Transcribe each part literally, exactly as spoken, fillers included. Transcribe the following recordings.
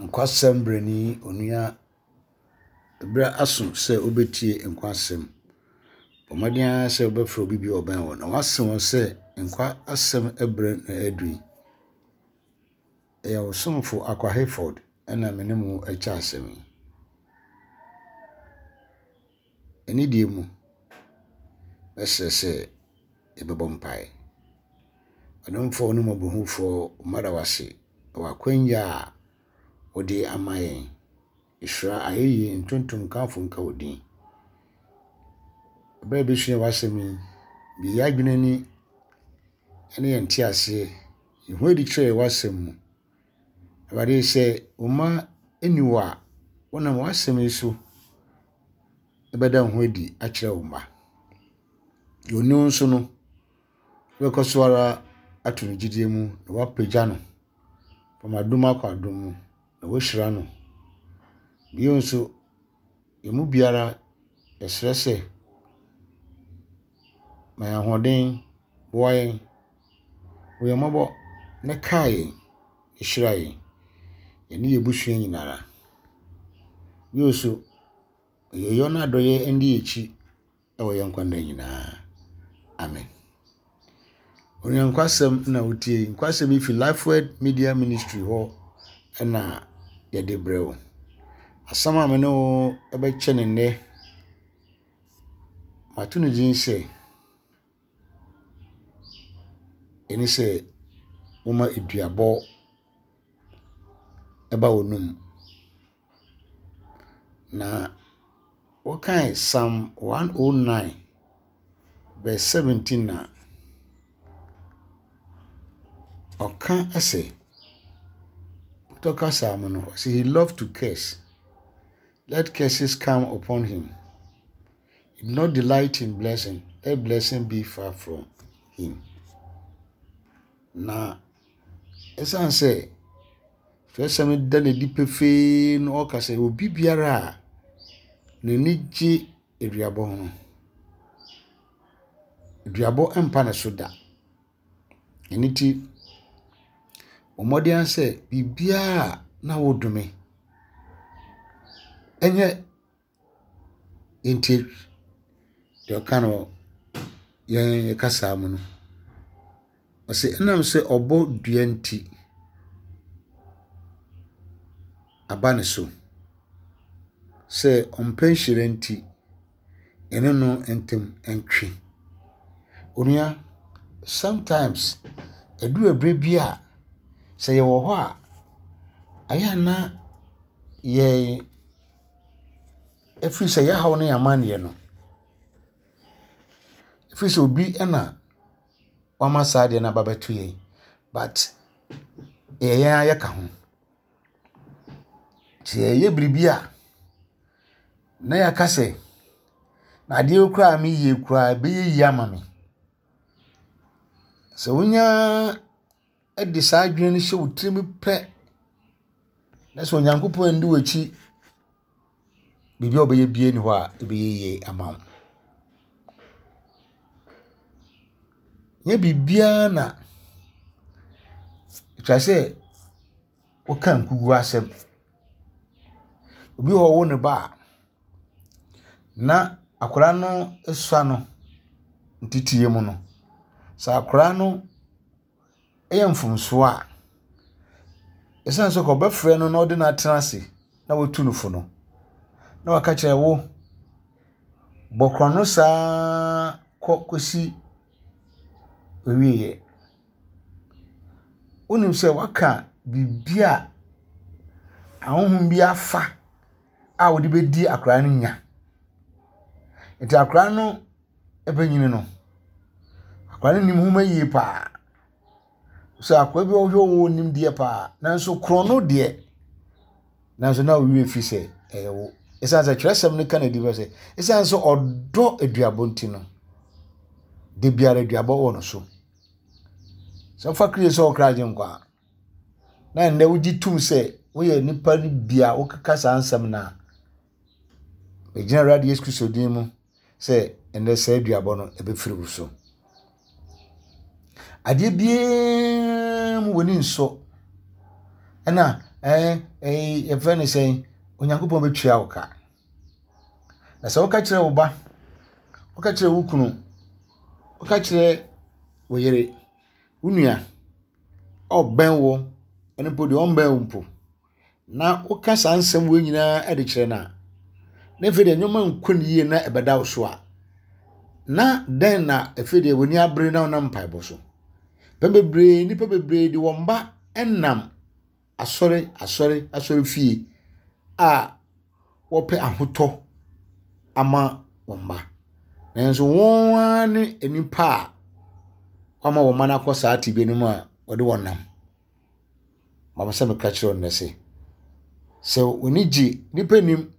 Nkwasɛm brɛni onua, berɛ aso sɛ wobɛtie nkwasɛm. Bɔ mmɔden ara sɛ wobɛfrɛ obi bi a ɔbɛn wo na woase wɔn sɛ nkwa asɛm berɛ na adu yi. Ɛyɛ wo somfo Akwa Hayford ɛna me ne mo kyɛ asɛm yi. Anidie mu, mɛsrɛ sɛ yɛbɛbɔ mpaeɛ. Ɔdomfoɔ ne mmɔborɔhunufoɔ, mada wo ase wɔ akwanya a wode ama yɛn. Nhyira, ayɛyie, ntontom, nkamfo nka wo din. Berɛ a yɛbɛsua w'asɛm yi, bue yɛn adwene ani ne yɛn nteaseɛ. Yi ho adi kyerɛ yɛn w'asɛm mu. Awurade, sɛ wo mma nni hɔ a, wonam w'asɛm yi so bɛda wo ho adi akyerɛ wo mma. Deɛ ɔnni wo nso no, wobɛkɔ so ara ato no gyidie mu na woapagya no from adom akɔ adom mu na woahyira no. Bio nso, yɛn mu biara yɛsrɛ sɛ ma yɛn ahoɔden, boa yɛn, hu yɛn mmɔbɔ na kae yɛn, hyira yɛn, yɛne yɛn abusua nyinara. Bio nso, yɛyɔ no adɔeɛ ndi yɛn akyi wɔ yɛn nkwa nna nyinaa. Amen. Onua nkwasɛm na wotie yi. Nkwasɛm yi fi Lifeword Media Ministry hɔ ɛna yɛde brɛ wo. Asɛm a me ne wo bɛkyɛ ne nnɛ, mato no din sɛ, ɛne sɛ woma aduabɔ ɛba w'anum. Na wɔkae Psalm one oh nine verse seventeen a ɔka sɛ, tɔka psalm no, ɔsɛ, "He loved to curse, let curses come upon him. He did not delight in blessing, let blessing be far from him." Na ɛsiane sɛ twerɛsɛm da n'adi pefee na ɔka sɛ obi biara a n'ani gye aduabɔ ho no, aduabɔ mpa ne so da. Ɛno nti, bɔ mmɔden sɛ biribiara a na wodome ɛnyɛ ntie deɛ ɔka no yɛn kasa mu no. Ɔsɛ ɛnam sɛ ɔbɔ dua nti aba ne so. Sɛ ɔmpɛ nhyira nti, ɛne no ntam ntwe. Onua, sometimes ɛduru ɛberɛ bi a sɛ yɛwɔ hɔ a, ɛyɛ a na yɛn ɛfiri sɛ yɛhaw ne yɛn amanneɛ no, ɛfiri sɛ obi ɛna wama saa adeɛ no aba bɛto yɛn, but ɛyɛ yɛn ara yɛka ho. Sɛ yɛyɛ biribi a, na yɛaka sɛ, na adeɛ yi koraa a meyɛ yi koraa ɛbɛyɛ yie ama me. Sɛ wonya de saa adwene no hyɛ wo tirim pɛ, na sɛ Onyankopɔn andi w'akyi, biribi a wobɛyɛ biara nni hɔ a ɛbɛyɛ yie ama wo. Nyɛ biribiara na ɛtwa sɛ woka nkuguo asɛm. Obi wɔ hɔ a ɔwo ne ba a, na akwadaa no sua no nteteeɛ mu no, sɛ akwadaa no yɛ mfomsoɔ a, ɛsiane sɛ ɔbɛfrɛ no na ɔde no atena ase na watu no fo no, na waka kyerɛ wo, bɔ korɔno saa kɔ kɔsi awieeɛ. Wonim sɛ waka biribi a ahonhom bi afa a wɔde bɛdi akwadaa no nya. Nti akwadaa no bɛnyini no, akwadaa no nim nwoma yie paa. Sɛ akwadaa bi a ɔhwɛ wo nimdeɛ paa, nanso korɔno deɛ, nanso na wo werɛ fi sɛ ɛyɛ wo. Ɛsiane sɛ twerɛsɛm no ka no adi sɛ, ɛsiane sɛ ɔdɔ aduabɔ nti no, da biara aduabɔ wɔ no so. Sɛ wofa Kristo sɛ ɔkra agye nkwa a, na nnɛ wogye tom sɛ woyɛ nipa no bi a wokeka saa nsɛm no a, ɛgyina Awurade Yesu Kristo din mu sɛ ɛnnɛ saa aduabɔ no ɛbɛfiri wo so. Adeɛ biara mu w'ani nsɔ, ɛna ɛɛ ɛɛ yɛfrɛ no sɛn, Onyankopɔn bɛtua wo ka. Na sɛ woka kyerɛ wo ba, woka kyerɛ wo kunu, woka kyerɛ wo yere, wo nua, ɔbɛn wo, ɛno mpo deɛ ɔmbɛn wo mpo, na woka saa nsɛm wei nyinaa de kyerɛ no a, na afei deɛ nneɛma nkɔ ne yie na ɛbɛda wo so a, na dɛn na afei deɛ w'ani abere na wonam mpaebɔ so. Pɛn bebree, nnipa bebree de wɔn ba nam asɔre asɔre asɔre fie a wɔpɛ ahotɔ ama wɔn mma. Nanso wɔn ara ne nnipa a wɔama wɔn mma no akɔ saa tebea no mu a wɔde wɔn nam. Mama sɛ meka kyerɛ wo nnɛ sɛ, sɛ w'ani gye nnipa nim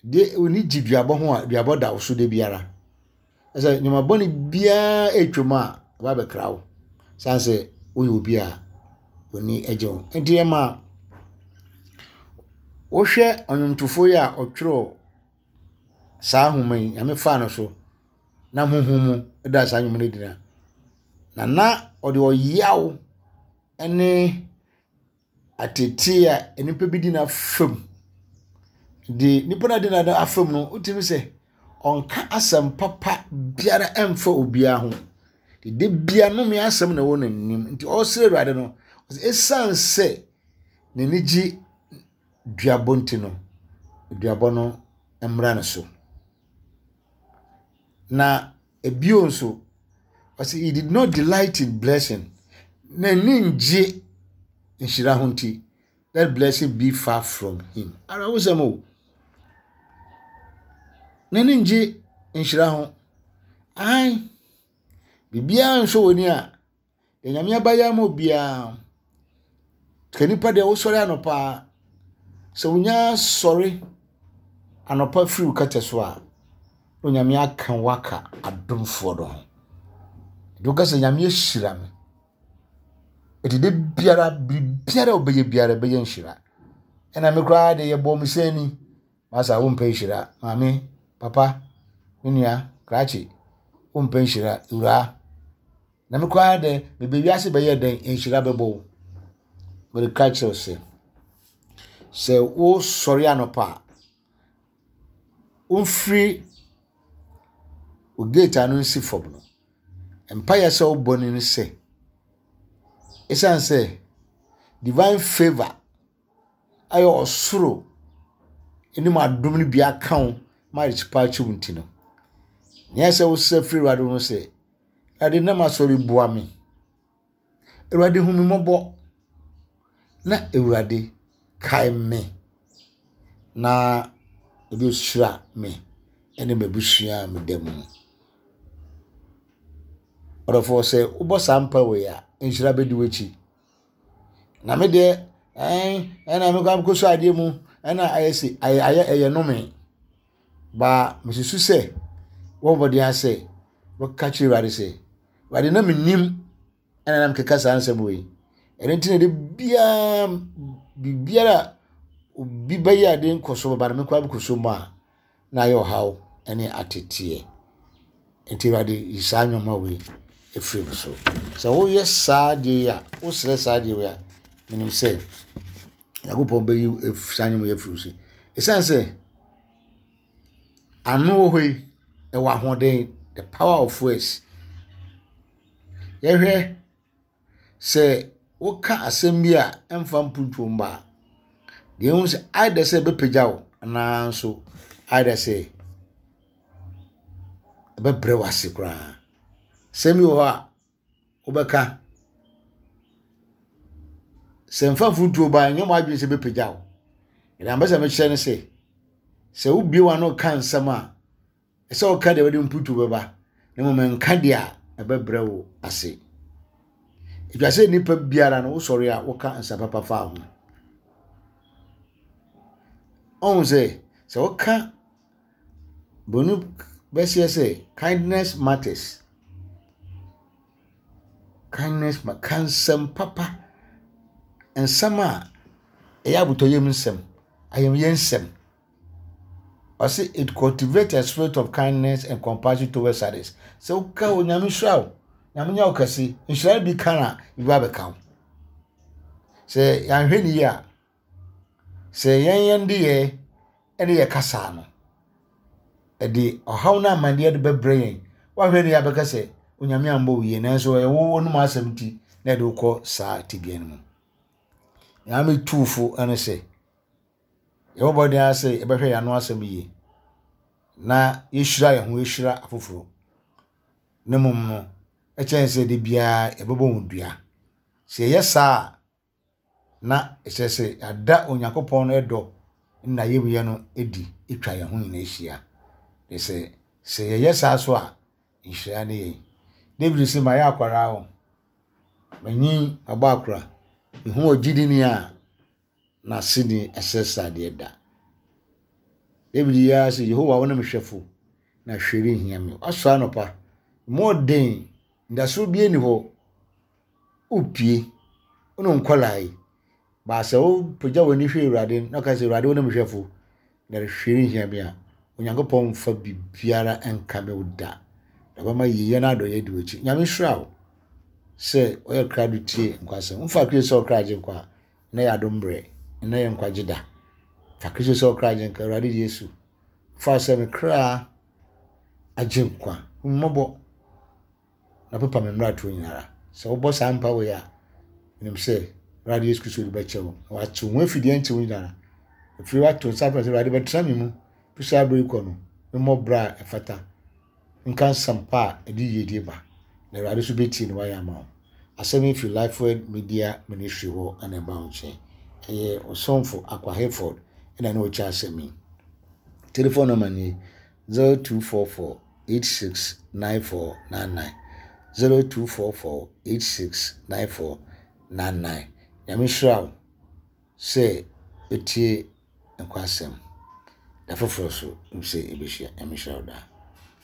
deɛ w'ani gye duabɔ ho a, duabɔ da wo so da biara. Sɛ nneɛma bɔne biara ɛretwam a, ɛba abɛkra wo. Sane sɛ woyɛ obi a w'ani gye ho. Nti ɛma wohwɛ ɔnwomtofoɔ yi a ɔtwerɛ saa nhoma yi, Nyame faa no so na honhom mu da saa nnwom no adi no na na ɔde ɔyaw ne atetee a nnipa bi di n'afam. De nnipa no a di n'afam no, wotumi sɛ ɔnka asɛm papa biara ɛmfa obiara ho. Da bia nnome asɛm na ɛwɔ n'anim. Nti ɔresrɛ Awurade no, ɛsiane sɛ n'ani gye duabɔ nti no, duabɔ no mmra ne so. Na ebio nso, ɔsɛ he did not delight in blessing. N'ani ngye nhyira ho nti, let blessing be far from him. Awerɛhosɛm o. N'ani ngye nhyira ho. Ae, biribiara nsɔ w'ani a, deɛ Nyame abayɛ ama obiara. Ka nipa deɛ wosɔre anɔpa a, sɛ wonya sɔre anɔpa firi wo kɛtɛ so a, na Onyame aka wo aka adomfoɔ no ho. Nti woka sɛ Nyame ahyira me. Nti da biara, biribiara a wobɛyɛ biara ɛbɛyɛ nhyira. Ɛna me koraa de yɛbɔ me sɛn ni. Masa wompɛ nhyira. Maame, papa, me nua, krakye, wompɛ nhyira. Wura. Na me koraa de, mebɛ wiase bɛyɛ dɛn, nhyira bɛbɔ wo. Mereka kyerɛ wo sɛ, sɛ wosɔre anɔpa a, womfiri wo gate ano nsi fam no, mpaeɛ sɛ wobɔ no ne sɛ, ɛsiane sɛ divine favour ayɛ ɔsoro anim adom no bi aka wo ma akyipa akyi wo nti no, nea sɛ wosrɛ firi Awurade ho sɛ, Awurade nam asɔre boa me. Awurade hu me mmɔbɔ. Na Awurade kae me. Na ebi hyira me ne m'abusua a meda mu. Ɔdɔfoɔ sɛ wobɔ saa mpa wei a, nhyira bɛdi w'akyi. Na me deɛ, ɛn ɛna mekɔ akɔsɔ adeɛ mu, ɛna ayɛ se ayɛ ayɛ ɛyɛ nnome. Baa mesusu sɛ wɔbɔ mmɔden ara sɛ wɔka kyerɛ Awurade sɛ, Awurade na menim ɛna na mekeka saa nsɛm wei. Ɛno nti na de biara biribiara a obi bɛyɛ ade nkɔso bɛba no mekɔ abɛkɔso mu a na ayɛ ɔhaw ne ateteɛ. Nti Awurade yi saa nneɛma wei efiri me so. Sɛ woyɛ saa adeɛ yi a, wosrɛ saa adeɛ wei a, menim sɛ Nyankopɔn bɛyi saa nneɛma yi afiri wo so. Ɛsiane sɛ ano wɔ hɔ yi, ɛwɔ ahoɔden, the power of words. Yɛhwɛ sɛ woka asɛm bi a ɛmfa mpuntuo mba a, deɛ ɛhu sɛ either sɛ ɛbɛpagya wo anaa nso either sɛ ɛbɛbrɛ wo ase koraa. Asɛm bi wɔ hɔ a wobɛka, sɛ mfa mfuntuo ba a, ɛnyɛ mo adwene sɛ ɛbɛpagya wo. Ɛna mpɛ sɛ mekyerɛ ne sɛ, sɛ wobue w'ano ka nsɛm a, ɛsɛ woka deɛ wɔde mpuntuo bɛba, na mmom nka deɛ a ɛbɛbrɛ wo ase. Ɛtwa sɛ nnipa biara no wosɔre a woka nsa papa fa ho. Ɔhu sɛ sɛ woka broni bɛseɛ sɛ kindness matters. Kindness ma ka nsɛm papa, nsɛm a ɛyɛ abotɔyam nsɛm, ayamyɛ nsɛm. Ɔse it cultivates a spirit of kindness and compassion towards others. Sɛ woka Onyame nhyira wo, Nyame nyɛ wo kɛse, nhyira no bi ka na bi ba bɛka wo. Sɛ yɛanhwɛ ne yie a, Sɛ yɛn yɛn nneyɛɛ ne yɛn kasa no, ɛde ɔhaw ne amanneɛ de bɛbrɛ yɛn. Woahwɛ ne yɛabɛka sɛ Onyame ambɔ wo yie, nanso ɛyɛ wo w'anom asɛm nti na ɛde wokɔ saa tebea no mu. Nea metu fo ne sɛ, yɛbɔ mmɔden ara sɛ yɛbɛhwɛ yɛn ano asɛm yie na yɛhyira yɛn ho yɛhyira afoforɔ. Na mmom no, ɛkyɛn sɛ da biara yɛbɛbɔ wɔn dua. Sɛ yɛyɛ saa a, na ɛkyerɛ sɛ yɛada Onyankopɔn no dɔ ne n'ayamyɛ no adi atwa yɛn ho nyinaa ahyia. Na sɛ sɛ yɛyɛ saa so a, nhyira ne yɛn. David sɛ mayɛ akwaraa o, manyin mabɔ akora, mehu ogyidini a n'aseni ɛsɛ sradeɛ da. David yi ara sɛ Yehowa wo ne me hwɛfo na hwee renhia me. Wasɔre anɔpa, mu ɔden, ndaso bi ni hɔ, wopie, wo ne nkɔlaa yi. Baasa wopagya w'ani hwɛ Awurade na ɔka sɛ Awurade wo ne me hwɛfo na hwee renhia me a, Onyankopɔn mfa biribiara nka me wo da. Na ɔbɛma yiyɛ no adɔyɛ di w'akyi. Nyame hyira wo sɛ ɔyɛ krado tie nkwasɛm. Mfa Kristo sɛ ɔkra agye nkwa a, na yɛ adom berɛ, na yɛ nkwagye da. Fa Kristo sɛ ɔkra agye nkwa, Awurade Yesu. Fa sɛ me kra agye nkwa. Hu me mmɔbɔ na pepa me mmaratoɔ nyinara. Sɛ wobɔ saa mpa wei a, menim sɛ Awurade Yesu Kristo de bɛkyɛ wo. Na watew ho afidie ntew nyinara. Afiri wato nsa frɛ sɛ Awurade bɛtena me mu. Fi saa bere yi kɔ no, memmɔ bra a ɛfata. Nka nsɛmpa a ɛde yiedie ba. Na Awurade nso bɛtie na wayɛ ama wo. Asɛm yi firi Lifeword Media Ministry hɔ ɛna ɛba wo nkyɛn. Ɛyɛ ɔsomfo Akwa Hayford ɛna ne ɔkyɛ asɛm yi. Telephone number ni zero two four four eight six nine four nine nine zero two four four eight six nine four nine nine. Nyame hyira wo sɛ etie nkwasɛm. Da foforɔ so sɛ yɛbɛhyia. Nyame hyira wo daa.